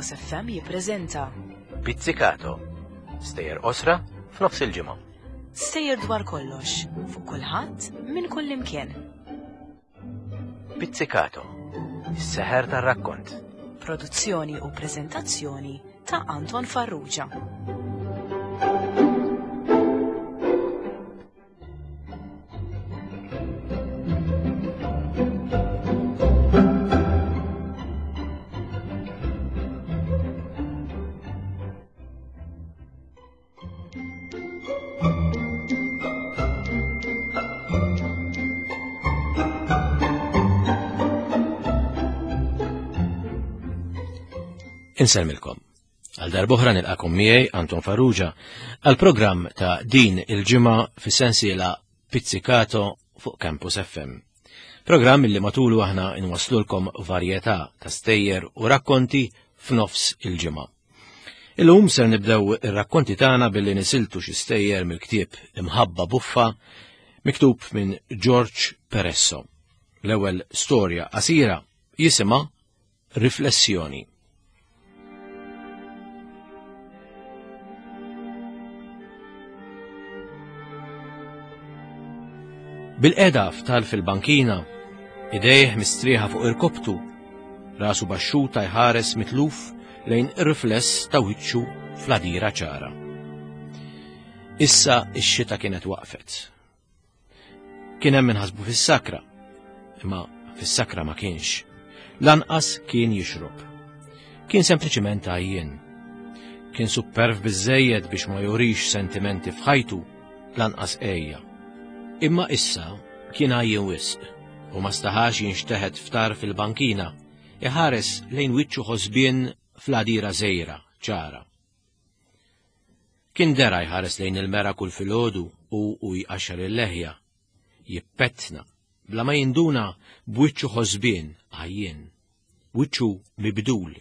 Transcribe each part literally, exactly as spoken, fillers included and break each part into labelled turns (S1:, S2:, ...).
S1: Campus F M jippreżenta
S2: Pizzicato. Stejjer qosra f'nofs il-ġimgħa.
S1: Stejjer dwar kollox, fuq kulħadd, minn kull imkien.
S2: Pizzicato. Is-seħer tar-rakkont.
S1: Produzzjoni u preżentazzjoni ta' Anton Farrugia.
S2: Insellmilkom. Għal darb'oħra nilqakom miegħi Anton Farrugia għal programm ta' din il-ġimgħa fis-sensiela Pizzicato fuq Campus F M. Programm li matulu aħna nwaslulkom varjetà ta' stejjer u rakkonti f'nofs il-ġimgħa. Illum ser nibdew ir-rakkonti tagħna billi nisiltu xi stejjer mill-ktieb Imħabba Buffa, miktub minn George Peresso. L-ewwel storja qasira jisimha Riflessjoni. Bilqiegħda ftal fil-bankina, idejh mistrieħa fuq irkoptu, rasu baxxuta, jħares mitluf lejn ir-rifless ta' wiċċu fl-għadira ċara. Issa ix-xita kienet waqfet. Kien hemm min ħasbu fis-sakra, imma fis-sakra ma kienx. Lanqas kien jixrob. Kien sempliċiment għajjien. Kien supperv biżejjed biex ma jurix sentimenti f'ħajtu, lanqas għeja. Imma issa kien għajjien wisq u ma staħax jinxteħet ftar fil-bankina, iħares lejn wiċċu ħosbien fl-għadira żgħira, ċara. Kien dera jħares lejn il-mera kull filgħodu u u jqaxxar il-leħja, jippettna, bla ma jinduna b'wiċċu ħosbien għajjien, wiċċu mibdul.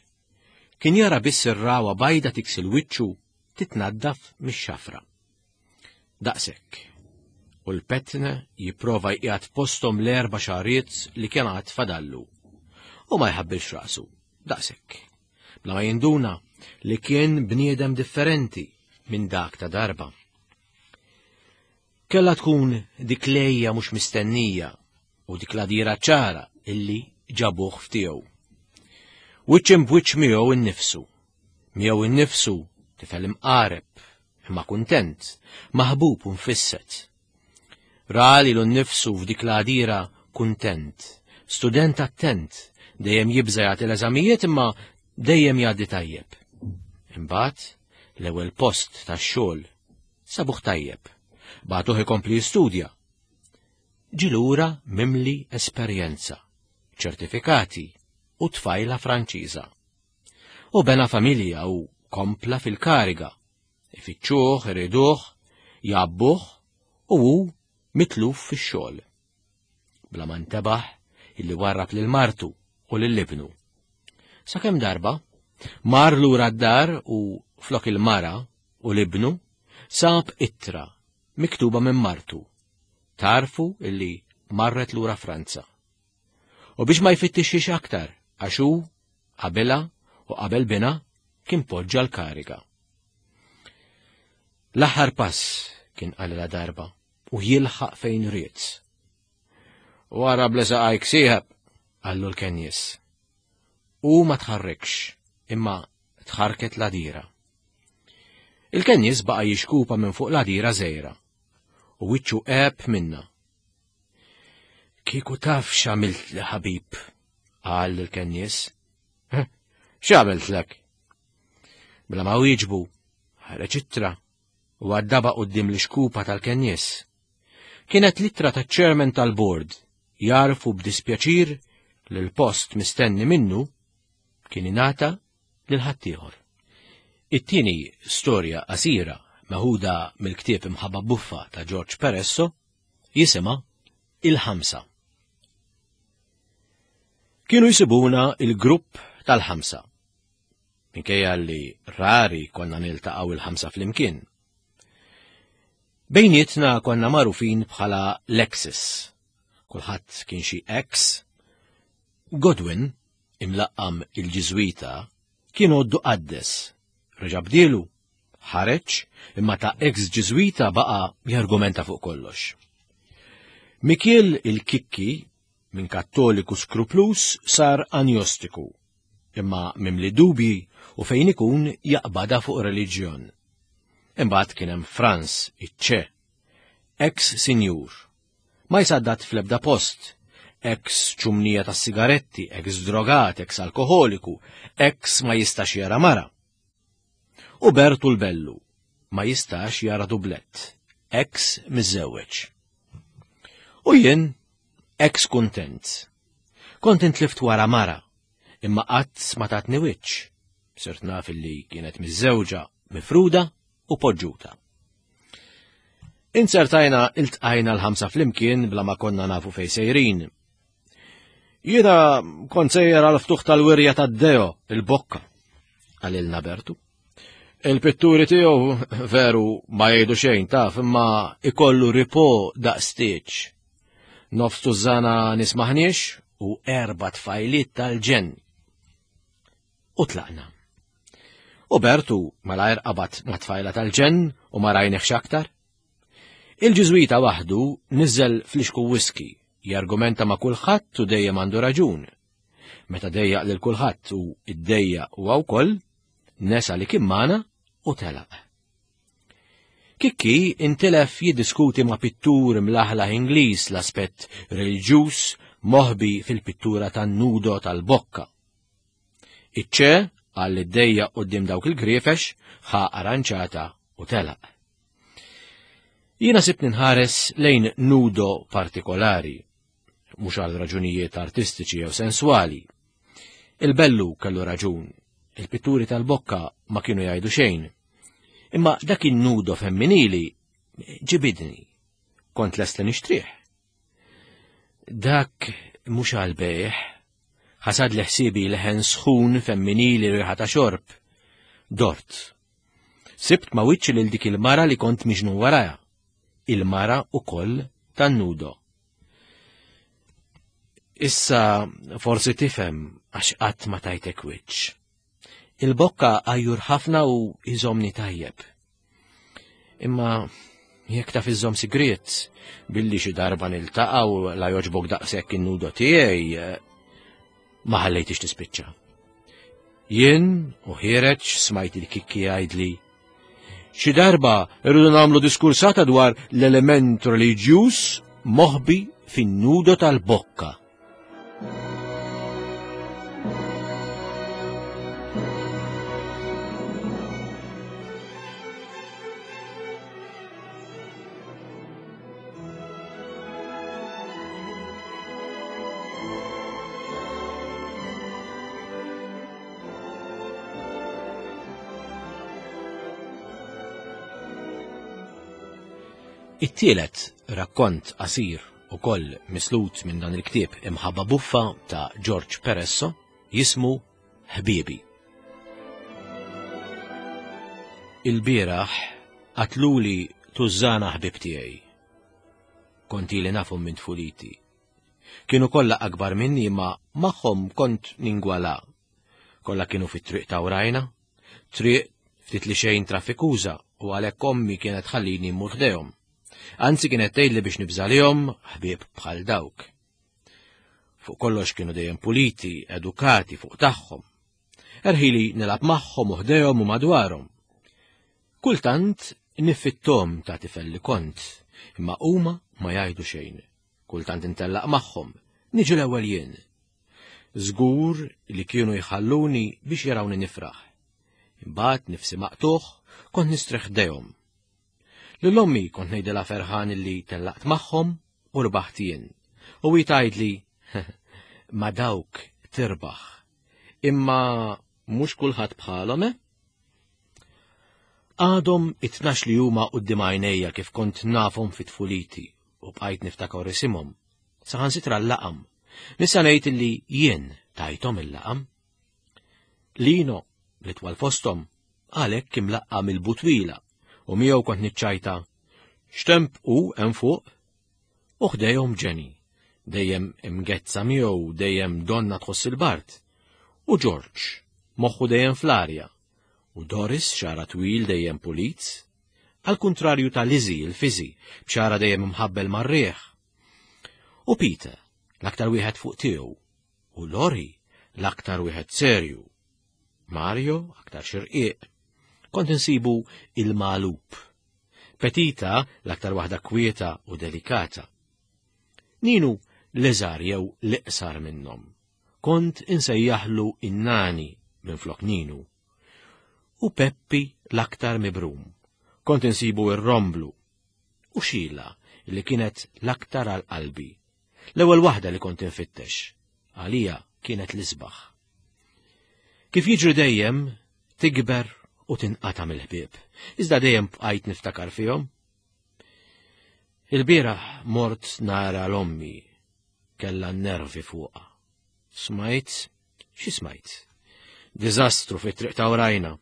S2: Kien jara biss ir-rawa bajda tiksi 'l wiċċu, titnaddaf mix-xafra. Daqshekk. U l-petne jipprova jqiegħed postom l-erba' xahriet li kien għad fadallu. U ma jħabbilx rasu, daqshekk. Bla ma jinduna li kien bniedem differenti minn dak ta' darba. Kella tkun dik l-għeja mhux mistennija u dik l-għadira ċara illi ġabuh f'tiegħu. Wiċċ imb'wiċċ miegħu innifsu. Miegħu innifsu tifel imqareb, imma kuntent, maħbub u mfisset. Ra lilu nnifsu f'dik l-għadira kuntent, student attent, dejjem jibża jagħti l-eżamijiet imma dejjem jgħaddi tajjeb. Imbagħad l-ewwel post tax-xogħol sabuh tajjeb. Bagħtuh ikompli jistudja. Ġie lura mimli esperjenza, ċertifikati u tfajla Franċiża. U bena familja u kompla fil-kariga. Ifittxuh, iriduh, jgħabbuh u hu mitluf fix-xogħol. Bla ma ntebaħ illi warrab lil martu u lil ibnu. Sakemm darba mar lura d-dar u flok il-mara u l-ibnu sab ittra miktuba minn martu. Tgħarrfu illi marret lura Franza. U biex ma jfittixx aktar, għax hu qabilha u qabel binha kien poġġa l-kariga. L-aħħar pass, kien qalilha darba, u jilħaq fejn ried. "Warrab 'l saqajk, sieħeb," qallu l-kennies. U ma tħarrikx, imma tħarket l-għadira. Il-kennies baqa jixkupa minn fuq l-għadira żgħira u wiċċu għeb minnha. "Kieku taf x'għamiltli, ħabib," qal il-kennies. "X'għamiltlek?" Bla ma wieġbu, ħareġ ittra u għaddaba quddiem l-ixkupa tal-kennies. Kienet l-ittra ta' chairman tal-board jgħarrfu b'dispjaċir li l-post mistenni minnu kien ingħata lil ħaddieħor. It-tieni storja qasira, meħuda mill-ktieb Imħabba Buffa ta' George Peresso, jisimha Il-Ħamsa. Kienu jsibuna il-grupp tal-ħamsa. Minkejja li rari konna niltaqgħu il-ħamsa flimkien. Bejnietna konna magħrufin bħala l-Exes. Kulħadd kien xi ex. Godwin, imlaqqam il-Ġiżwita, Kien għoddu qaddes. Reġa' bdielu, ħareġ, imma ta' ex-Ġiżwita baqa' jargumenta fuq kollox. Mikiel il-Kikki, minn kattoliku skruplus, sar anjostiku, imma mimli dubji u fejn ikun jaqbada fuq reliġjon. Imbagħad kien hemm Franz iċ-ċe, ex-sinjur. Ma jsaddat fl-ebda post, ex ċumnija tas sigaretti, ex drogat, ex alkoholiku, ex ma jistax jara mara. U Bertu l-Bellu ma jistax jara dublett, ex miżżewweġ. U jien ex kuntent. Kont intlift wara mara, imma qatt ma tatni wiċċ. Sirt naf li kienet miżżewġa, mifruda u poġġuta. Insertajna iltqajna l-ħamsa flimkien bla ma konna nafu fej sejrin. Jiena kont sejjer għal ftuħ tal-wirja tad-Deo, il-Bokka, qalilna Bertu. Il-pitturi tiegħu veru ma jgħidu xejn taf, imma ikollu ripo daqstieġ. Nofs tużana nismaħniex u erba' tfajliet tal-ġenn. U tlaqna. U Bertu malajr qabad ma' tfajla tal-ġenn u ma rajniex aktar. Il-Ġiżwita waħdu niżel flixku whisky, jargumenta ma' kulħadd u dejjem għandu raġun. Meta dejjaq lil kulħadd u iddejjaq huwa wkoll, nesa li kien magħna u telaq. Kikki intilef jiddiskuti ma' pittur mlaħlaħ Ingliż l-aspett reliġjuż moħbi fil-pittura tan-nudo tal-Bokka. Iċ-ċe għal id-dejja quddiem dawk il-griefex ħa arranċata u telaq. Jiena sibt ninħares lejn nudo partikolari, mhux għal raġunijiet artistiċi jew senswali. Il-Bellu kellu raġun, il-pitturi tal-Bokka ma kienu jgħidu xejn. Imma dak in-nudo femminili ġibidni, kont lest li nixtrih. Dak mhux għal bejħ, ħasad li ħsiebi leħen sħun femminili riħa ta' xorb. Dort. Sibt ma wiċċi lil dik il-mara li kont miġnun waraja. Il-mara ukoll tan-nudo. Issa forsi tifhem għax qatt ma tajtek wiċċ. Il-Bokka għajjur ħafna u iżomni tajjeb. Imma jekk taf iżżomm sigriet, billi xi darba niltaqgħu la jogħġbok daqshekk in-nudo tiegħi, ma ħallejtix tispiċċa. Jien u ħiereġ smajt il-Kikki jgħidli, xi darba rridu nagħmlu diskursata dwar l-element reliġjuż moħbi fin-nudo tal-Bokka. It-tielet rakkont qasir ukoll mislut minn dan il-ktieb Imħabba Buffa ta' George Peresso jismu Ħbiebi. Il-bieraħ qatluli tużżana ħbieb tiegħi. Kont ili nafhom minn tfuliti. Kienu kollha akbar minni imma magħhom kont ningwala. Kollha kienu fit-triq ta' wrajna, triq ftit li xejn traffikuża u għalhekk ommi kienet ħallini mmur ħdejhom. Anzi kienet tgħidli biex nibżalihom ħbieb bħal dawk. Fuq kollox kienu dejjem puliti, edukati fuq tagħhom. Erħili nilgħab magħhom u ħdejhom u madwarhom. Kultant nifittom ta' tifel li kont, imma huma ma jgħidu xejn. Kultant intellaq magħhom, niġi l-ewwel jien. Żgur li kienu jħalluni biex jarawni nifraħ. Imbagħad nifsi maqtuħ kont nistrieħ ħdejhom. Lil ommi kont ngħidilha ferħan li tellaqt magħhom u rbaħt jien. U hi tgħidli ma dawk tirbaħ. Imma mhux kulħadd bħalhom, eh? Għadhom it-tnax li huma quddiem għajnejja kif kont nafhom fi tfuliti u bqajt niftakar isimhom. Saħansitra l-laqam. Nista' ngħid li jien tajthom il-laqam. Lino li twal fosthom għalhekk imlaqqam il-butwila u miegħu kont niċċajta x'temp hu hemm fuq u ħdejhom Ġeni, dejjem imgezza miegħu, dejjem donna tħoss il-bard, u George, moħħu dejjem fl-arja, u Doris xara twil dejjem pulit, għal kuntrarju ta' Lizzie il-fiżi, b'xara dejjem imħabbel mar-riħ. U Peter, l-aktar wieħed fuq tiegħu, u Lori, l-aktar wieħed serju. Mario, aktar xirqiq. Kont insibu il-malup. Petita, l-aktar waħda kwieta u delikata. Ninu, l-iżgħar jew l-iqsar minnhom. Kont insejjaħlu in-nani minn flok Ninu. U Peppi l-aktar mibrum. Kont insibu ir-romblu. U Xila, li kienet l-aktar għal qalbi. L-ewwel waħda li kont infittex. Għalija kienet l-isbaħ. Kif jiġri dejjem, tikber u tinqata' mill-ħbieb. Iżda dejjem bqajt niftakar fihom. Il-bieraħ mort nara l-ommi, kellha n-nervi fuqha. Smajt, xi smajt? Diżastru fit-triq ta' warajna.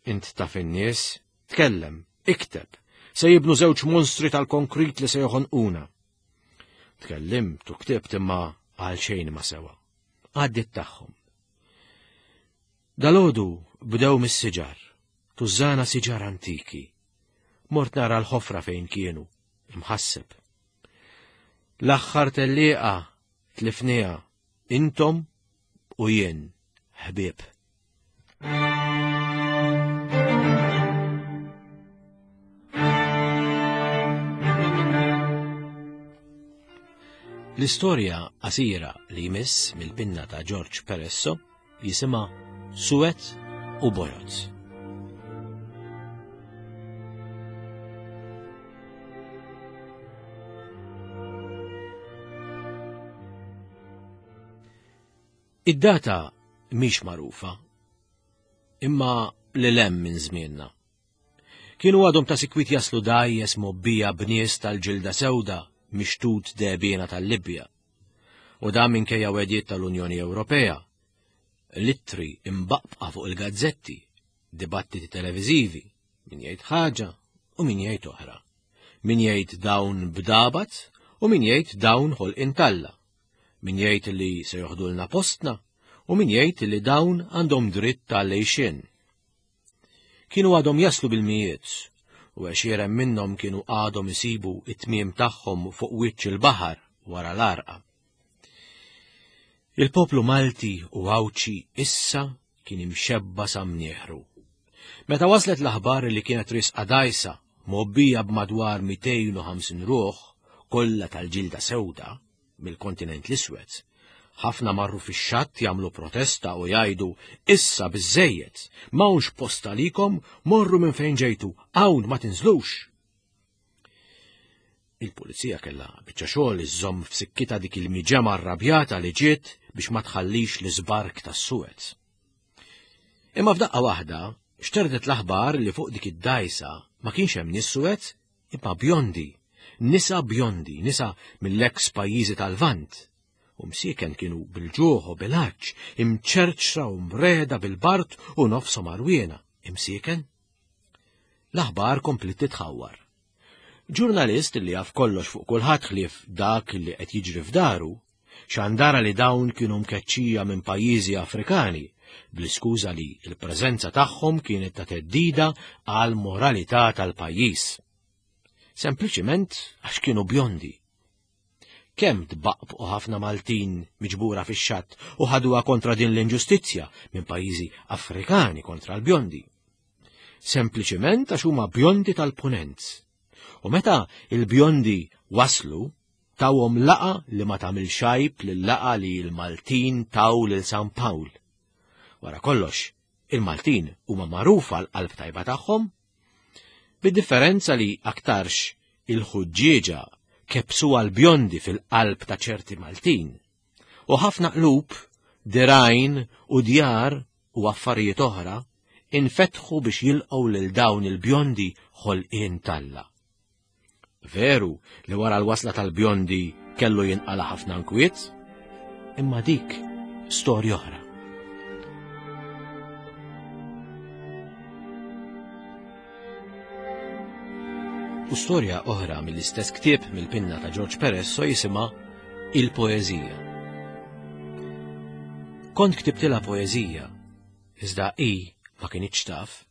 S2: Int taf in-nies, tkellem, ikteb, se jibnu żewġ monstri tal-konkrit li se joħonquna. Tkellimt u ktibt imma għal xejn ma sewa. Għaddit tagħhom. Dalodu bdew mis-siġar, tużżana siġar antiki. Mort nara l-ħofra fejn kienu, imħasseb. L-aħħar tellieqa tlifniha intom u jien, ħbieb. L-istorja qasira li jmiss mill-pinna ta' George Peresso jisimha Suwed u Bojod. Id-data mhix magħrufa, imma lil hemm minn żmienna. Kienu għadhom ta' sikwit jaslu dgħajjes mgħobbija b'nies tal-ġilda sewda mixtut dehbiena tal-Libja. U dan minkejja wegħdiet tal-Unjoni Ewropea, l-ittri imbaqbqa fuq il-gazzetti, dibattiti televiżivi, min jgħid ħaġa u min jgħid oħra. Min jgħid dawn bdabat u min jgħid dawn ħolqien t'Alla. Min jgħid li se joħdulna postna u min jgħid li dawn għandhom dritt tal-għixien. Kienu għadhom jaslu bil-mijiet u għexieren minnhom kienu għadhom isibu it-tmiem tagħhom fuq wiċċ il-baħar wara l-għarqa. Il-poplu Malti u Għawdxi issa kien imxebba sa mnieħru. Meta waslet l-aħbar li kienet risqa dgħajsa mgħobbija b'madwar mitejn u ħamsin ruħ, kollha tal-ġilda sewda mill-kontinent l-iswed, ħafna marru fix-xatt jagħmlu protesta u jgħidu issa biżżejjed, m'hawnx post għalikom, morru minn fejn ġejtu, hawn ma tinżlux. Il-pulizija kellha biċċa xogħol iżżomm f'sikkitha dik il-miġemgħa arrabjata li ġiet biex ma tħallix l-iżbark tas-Suez. Imma f'daqqa waħda xterdet l-aħbar li fuq dik id-dgħajsa ma kienx hemm nies Suez imma bjondi, nisa bjondi, nisa mill-eks pajjiżi tal-Lvant. U msieken kienu bil-ġuħ u bil-għatx, imċerċra u mreda bil-bart u nofshom għarwiena. Imsieken? L-aħbar komplet titħawwar. Ġurnalist li jaf kollox fuq kulħadd ħlief dak li qed jiġri f'daru, xandara li dawn kienu mkeċċija minn pajjiżi Afrikani, bl-iskuża li l-preżenza tagħhom kienet ta' theddida għal moralità tal-pajjiż. Sempliċiment għax kienu bjondi. Kemm tbaqbqu ħafna Maltin miġbura fix-xatt u ħaduha kontra din l-inġustizzja minn pajjiżi Afrikani kontra l-bjondi. Sempliċiment għax huma bjondi tal-punent. U meta il-bjondi waslu, tawhom laqa li ma tagħmel xajb lil-laqa li l-Maltin taw lil San Pawl. Wara kollox, il-Maltin huma magħrufa l-qalb tajba tagħhom, bid-differenza li aktarx il-ħuġġieġa kebsu għal-bjondi fil-qalb ta' ċerti Maltin. U ħafna qlub, dirajn u djar u affarijiet oħra infetħu biex jilqgħu lil dawn il-bjondi ħolqien t'Alla. Veru li wara l-wasla tal-bjondi kellu jinqala ħafna nkwiet, imma dik storja oħra. U storja oħra mill-istess ktieb mill-pinna ta' George Peresso jisimha Il-Poeżija. Kont ktibtilha poeżija, Iżda hi ma kinitx taf.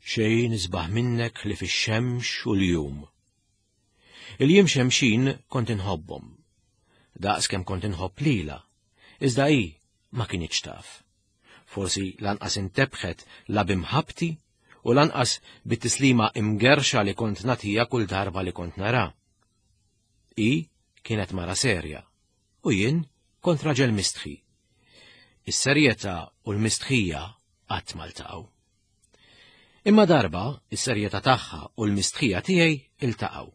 S2: Xejn isbaħ minnek li fix-xemx u l-jum. Il-jiem xemxin kont inħobbhom. Daqs kemm kont inħobb lila, iżda hi ma kinitx taf. Forsi lanqas intebħet la bimħabti u lanqas bit-tislima imgerxa li kont nagħtiha kull darba li kont nara. Hi kienet mara serja u jien kont raġel mistħi. Is-serjetà u l-mistħija qatt ma ltaqgħu. Imma darba is-serjetà tagħha u l-mistħija tiegħi iltaqgħu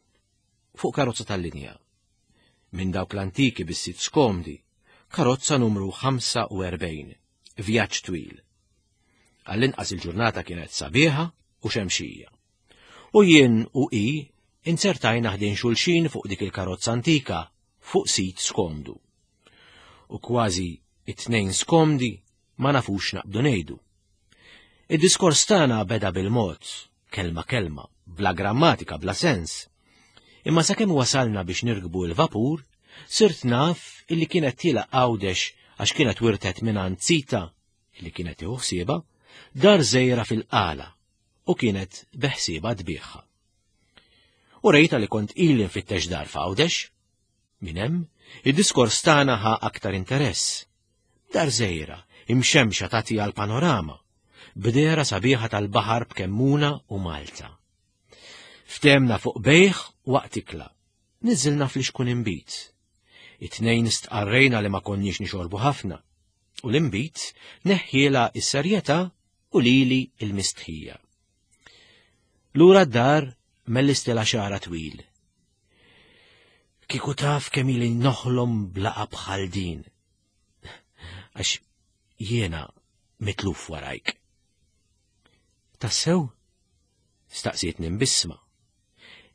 S2: fuq karozza tal-linja. Minn dawk l-antiki bis-sit skomdi, karozza numru ħamsa u erbgħin, vjaġġ twil. Għall-inqas il-ġurnata kienet sabiħa u xemxija. U jien u hi insertajna ħdejn xulxin fuq dik il-karozza antika fuq sit skomdu. U kważi it-tnejn skomdi ma nafux naqbdu ngħidu. Id-diskors tagħna beda bil-mod, kelma kelma, bla grammatika, bla sens. Imma sakemm wasalna biex nirkbu l-vapur, sirt naf illi kienet tiela Għawdex għax kienet wirtet mingħand sita illi kienet tieħu ħsiebha, dar żejra fil-qala u kienet beħsiebha tbigħha. U rejta li kont ili nfittex dar f'Għawdex. Minn hemm, id-diskors tagħna ħa aktar interess. Dar żejra, imxemxa tagħti għal panorama, bdera sabiħa tal-baħar b'Kemmuna u Malta. Ftemna fuq bejħ waqt ikla, niżilna fl-ixkun imbit. It-tnejn stqarrejna li ma konniex nixorbu ħafna, u l-imbit neħħiela is-serjetà u lili il-mistħija. Lura d-dar mellistela xara twil. Kieku taf kemm ili noħlom blaqa bħal din. Għax jiena mitluf warajk. Tassew? Staqsietni mbisma.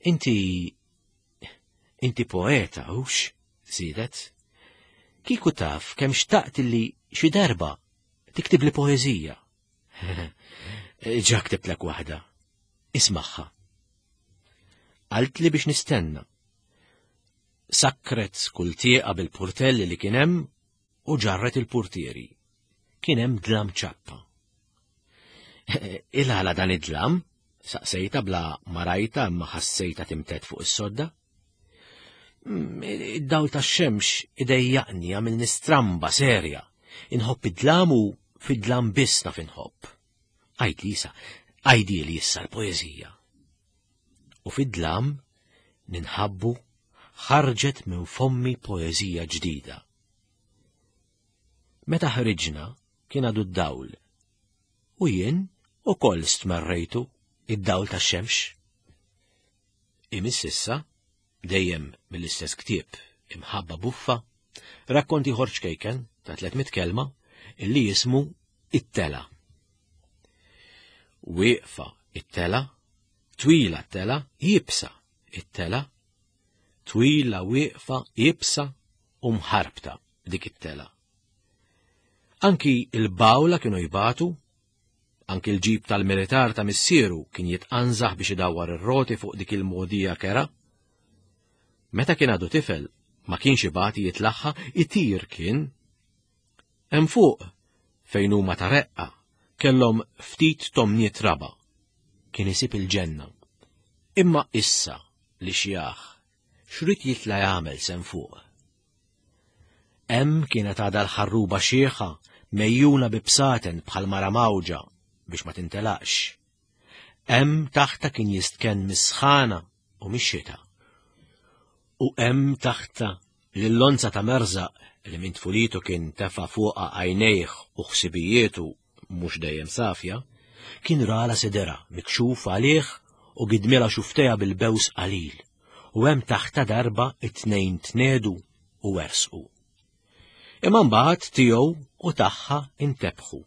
S2: Inti, inti poeta, hux? Żiedet. Kieku taf kemm xtaqt li xi darba tiktib li poeżija. Ġa ktibtlek waħda. Ismagħha. Qalt li biex nistenna. Sakkret kull tieqa bil-portelli li kien hemm u ġarret il-portieri. Kien hemm dlam ċappa. Il-għala dan id-dlam? Saqsejta bla ma rajta imma ħassejta timtet fuq is-sodda. Id-dawl tax-xemx idejjaqni għamilni stramba serja. Inħobb id-dlam u fid-dlam biss naf inħobb. Għid li issa, għajdi li issa l-poeżija. U fid-dlam ninħabbu ħarġet minn fommi poeżija ġdida. Meta ħriġna kien għadu d-dawl. U jien ukoll stmerrejtu id-dawl tax-xemx. Imiss issa, dejjem mill-istess ktieb, Imħabba Buffa, rakkonti ieħor ċkejken ta' tliet mitt kelma illi jismu It-Tela. Wieqfa it-tela, twila t-tela, jibsa it-tela, twila wieqfa jibsa u mħarbta dik it-tela. Anki il-bawla kienu jibatu, anki l-ġib tal-militar ta' missieru kien jitqanżaħ biex idawwar ir-roti fuq dik il-modija kera. Meta kien għadu tifel, ma kienx ibati jitlaħħa, itir kien. Hemm fuq, fejn huma ta' reqqa, kellhom ftit tomniet raba. Kien isib il-ġenna. Imma issa li xjaħ, xrid jitla' jagħmel sem fuq. Hemm kienet għadha l-ħarruba xieħa mejjuna bi bsaten bħal mara mawġa biex ma tintelaqx. Hemm taħta kien jistkenn mis-sħana u mix-xita. U hemm taħta lill-lonza ta' merżaq li minn tfulitu kien tefa' fuqha għajnejh u ħsibijietu mhux dejjem safja, kien rala sidera mikxuf għalih u gidmila xuftejha bil-bews qalil, u hemm taħta darba it-tnejn tnedu u wersqu. Imma mbagħad tiegħu u tagħha intebħu.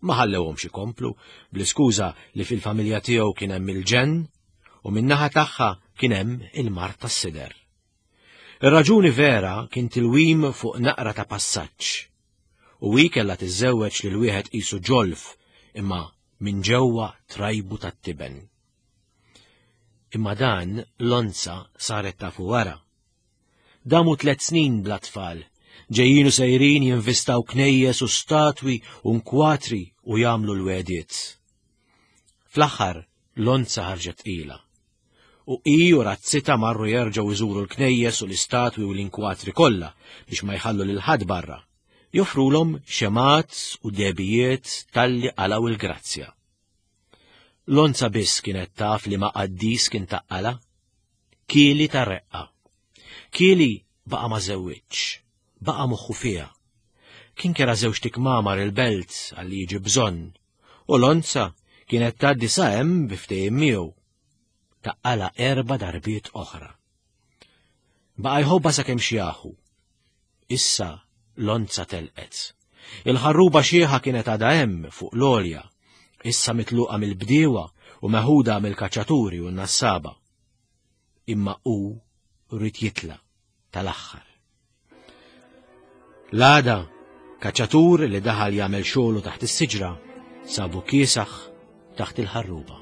S2: Ma ħallewhomx ikomplu bl-iskuża li fil-familja tiegħu kien hemm il-ġenn u min-naħa tagħha kien hemm il-mart tas-sider. Ir-raġuni vera kien tilwim fuq naqra ta' passaġġ. U hi kellha tiżżewweġ lil wieħed qisu ġolf imma minn ġewwa trajbu tat-tiben. Imma dan l-onza saret tafu wara. Damu tliet snin bla tfal, Ġejjin u sejrin jinvistaw knejjes u statwi u nkwatri u jagħmlu l-wegħdiet. Fl-aħħar Lonza ħarġet tqila. U hi u razzita marru jerġgħu jżuru l-knejjes u l-istatwi u l-inkwatri kollha biex ma jħallu lil ħadd barra. Joffrulhom xemat u debijiet talli qalgħu il-grazzja. Lonza biss kienet taf li ma qaddis kien taqqala. Kili ta' reqqa. Kili baqa' ma żewwiġx, baqa' moħħu fiha. Kien kera żewġ tikmamar il-belt għalli jiġi bżonn, u Lonza kienet tgħaddi sa hemm bi ftehim miegħu. Taqqala erba' darbiet oħra. Baqa' jħobbha sakemm xjaħu. Issa Lonza telqet. Il-ħarruba xieħa kienet għadha hemm fuq l-għolja, issa mitluqa mill-bdiewa u meħuda mill-kaċċaturi u n-nassaba. Imma hu rrid jitla' tal-aħħar. L-għada, kaċċatur li daħal jagħmel xogħlu taħt is-siġra sabu kiesaħ taħt il-ħarruba.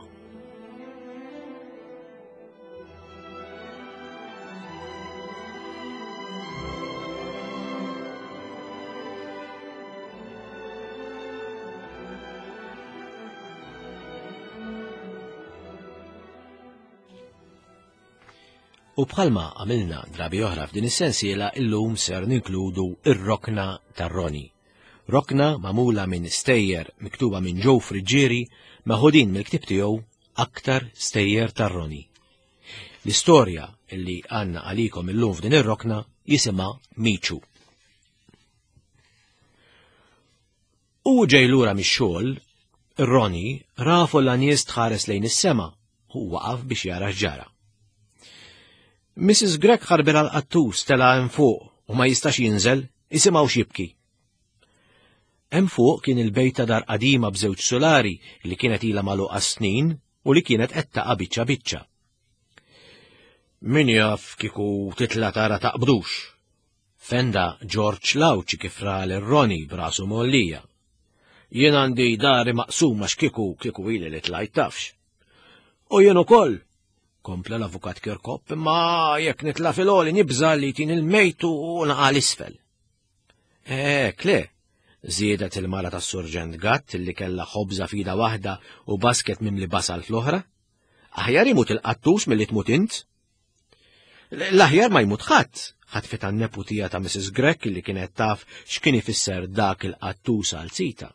S2: U bħalma għamilna drabi oħra f'din is-sensiela, illum ser ninkludu ir-Rokna tar-Roni. Rokna magħmula minn stejjer miktuba minn Joe Friggieri meħudin mill-ktieb tiegħu Aktar Stejjer tar-Roni. L-istorja illi għandna għalikom illum f'din ir-rokna jisimha Miċu. U ġej lura mix-xogħol, ir-Roni ra folla nies tħares lejn is-sema u waqaf biex jara x'ġara. Missus Grech ħarbel għal-qattus tela' hemm fuq u ma jistax jinżel, isimgħu x'jibki. Hemm fuq kien il-bejt ta' dar qadima b'żewġ solari li kienet ilha magħluqa snin u li kienet qed taqa' biċċa biċċa. Min jaf kieku titla' tara taqbdux. Fenda George Lawċi kif ra lil Roni b'rasu mgħollija. Jien għandi dari maqsuma x'kieku kieku ili li tlajt tafx. U jien ukoll, kompla l-avukat Kirkop, imma jekk nitla' fil-għoli nibża' li tin il-mejtu u naqa' l-isfel. Ek, le, żiedet il-mara tas-Surġent Gatt li kellha ħobża fida waħda u basket mimli basal fl-oħra. Aħjar imut il-qattus milli tmut int. L-aħjar ma jmut ħadd, ħatfitha n-neputija ta' Missus Grech li kienet taf x'kien ifisser dak il-qattus għal sita.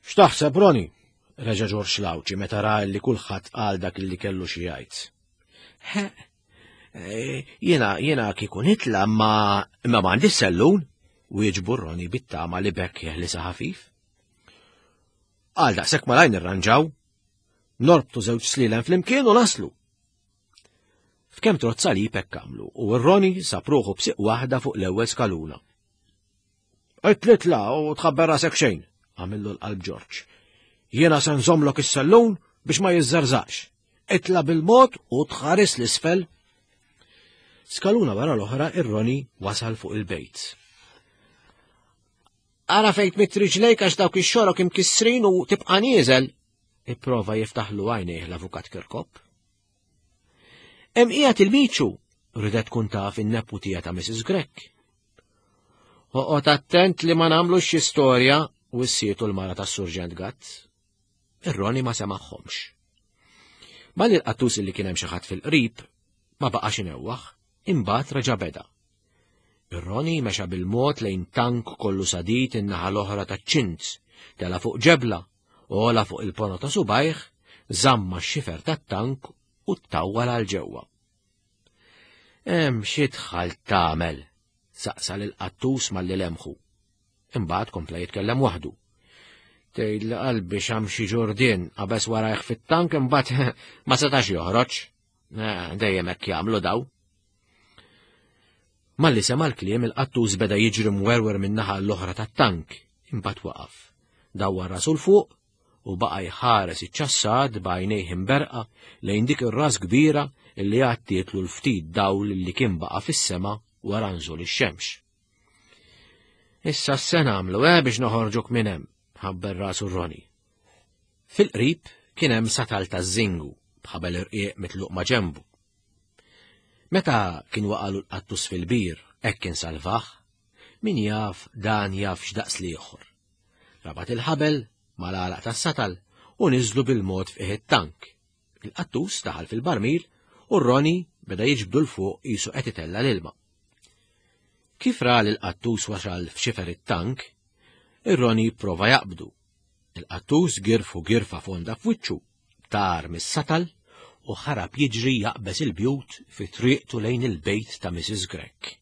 S2: X'taħseb, Roni? Reġa' George Lawċi meta ra li kulħadd qal dak li kellu xi jgħid. Jiena jiena kieku nitla' ma imma m'għandix sellun, wieġbu Roni bit-tama li bekk jeħlisa ħafif. Għal daqshekk malajr nirranġaw, norbtu żewġ slielem flimkien u naslu. F'kemm trott salib hekk għamlu u r-Roni sab ruħu b'siq waħda fuq l-ewwel skaluna. Itlitla u tħabber rasek xejn, għamillu l-qalb George. Jiena se nżommlok is-sellun biex ma jiżżarżax. Itla' bil-mod u tħares l-isfel. Skaluna wara l-oħra ir-Roni wasal fuq il-bejt. Ara fejn tmitt riġlejk għax dawk ix-xorok imkissrin u tibqa' nieżel, ipprova jiftaħlu għajnejh l-avukat Kirkop. Hemm qiegħed il-Miċu, ridet tkun taf in-neputija ta' Missus Grech. Oqgħod attent li ma nagħmlux xi storja, wissietu l-mara tas-Surġent Gatt. Ir-Roni ma semaħħomx. Malli l-qattus li kien hemm xi ħadd fil-qrib ma baqax inewwaħ, imbagħad reġa' beda. Ir-Roni mexa bil-mod lejn tank kollu sadid in-naħa l-oħra taċ-ċint, tela' fuq ġebla, u ola fuq il-pono ta' subajh, żamma x-xifer tat-tank u ttawwal għal ġewwa. Hemm xi dħal tagħmel, saqsa lill-qattus malli lemħu. Imbagħad kompla jitkellem waħdu. Tgħid li qalbi xam xi ġurdien qabeż warajh fit-tank imbagħad ma setax joħroġ. Dejjem hekk jagħmlu daw. Malli sema' l-kliem il-qattus beda jiġri mwerwer min-naħa l-oħra tat-tank, imbagħad waqaf. Dawwar rasu 'l fuq u baqa' jħares iċ-ċassad b'għajnejh imberqa lejn dik ir-ras kbira li għattietlu l-ftit dawl li kien baqa' fis-sema wara nżul ix-xemx. Issa se nagħmlu eh biex noħorġuk minn hemm, ħabber rasu Roni. Fil-qrib kien hemm satal taż-żingu b'ħabel irqiq mitluq ma' ġenbu. Meta kien waqalu l-qattus fil-bir hekk insalvah. Min jaf dan jaf x'daqs l-ieħor. Rabat il-ħabel mal-għalaq tas-satal u niżlu bil-mod f'qiegħ it-tank. Il-qattus daħal fil-barmil u Roni beda jiġbdu 'l fuq qisu qed itella' l-ilma. Kif ra li l-qattus wasal f'xifer it-tank, ir-Roni prova jaqbdu. Il-qattus girfu girfa fonda f'wiċċu, tar mis-satal u ħarab jiġri jaqbeż il-bjut fi triqtu lejn il-bejt ta' Missus Grech.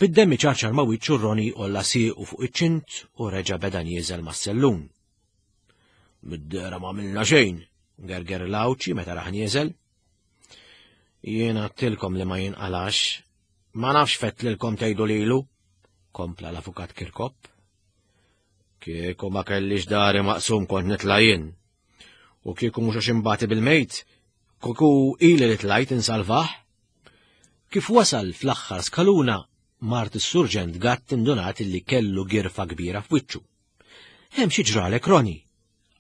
S2: Bid-demm iċarċar ma' wiċċu Roni għolla siequ fuq iċ-ċint u reġa' beda nieżel mas-sellun. Mid-dehra ma għamilna xejn, gerger l-Għawdxi meta raħ nieżel. Jiena għedtilkom li ma jinqalax, ma nafx fettlilkom tgħidu lilu, kompla l-avukat Kirkop. Kieku ma kellix dari maqsum kont nitla' jien. U kieku mhux għax imbati bil-mejt, kieku ili li tlajt insalvah. Kif wasal fl-aħħar skaluna, mart is-surġent Gatt indunat li kellu girfa kbira f'wiċċu. Hemm xi ġralek Roni,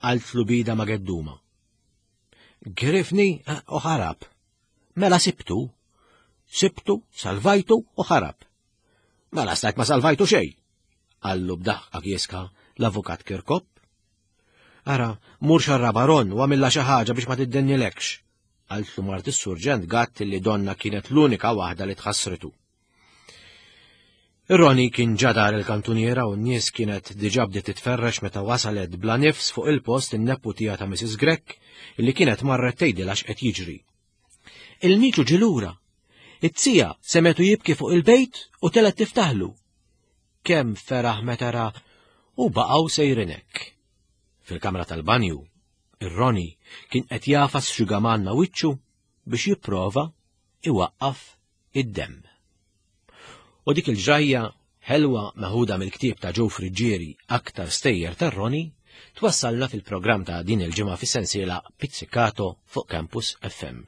S2: qaltlu bida ma' gedduma. Grifni u ħarab. Mela sibtu. Sibtu, salvajtu u ħarab. Mela stajt ma salvajtu xejn, qallu b'daħqa kieska l-avukat Kirkop. Ara, mur xarraba Ron u għamilla xi ħaġa biex ma tiddennilekx, qaltlu mart is-surġent Gatt li donna kienet l-unika waħda li tħassritu. Roni kien ġadar il-kantuniera u n-nies kienet diġà bdiet titferrex meta wasalet bla nifs fuq il-post in-neputija ta' Missus Grech li kienet marret tgħidilha x'qed jiġri. Il-miċu ġie lura. It-tija semetu jibki fuq il-bejt u telet tiftaħlu. Kemm feraħ meta ra u baqgħu sejrin hekk. Fil-kamra tal-banju, ir-Roni kien qed jafas xugaman ma' wiċċu biex jipprova iwaqqaf id-demm. U dik il-ġrajja ħelwa meħuda mill-ktieb ta' Joe Friggieri Aktar Stejjer tar-Roni twassalna fil-programm ta' din il-ġimgħa fis-sensiela Pizzicato fuq Campus F M.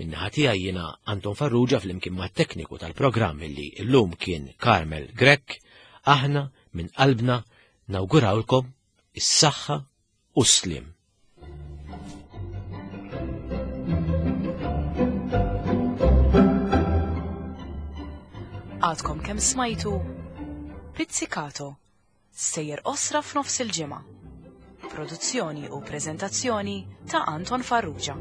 S2: Min-naħa tiegħi jiena Anton Farrugia flimkien mat-tekniku tal-programm illi llum kien Carmel Grech, aħna minn qalbna nawgurawlkom is-saħħa u s-sliem.
S1: Għadkom kemm smajtu Pizzicato, sejjer osra f'nofs il-ġimgħa. Produzzjoni u preżentazzjoni ta' Anton Farrugia.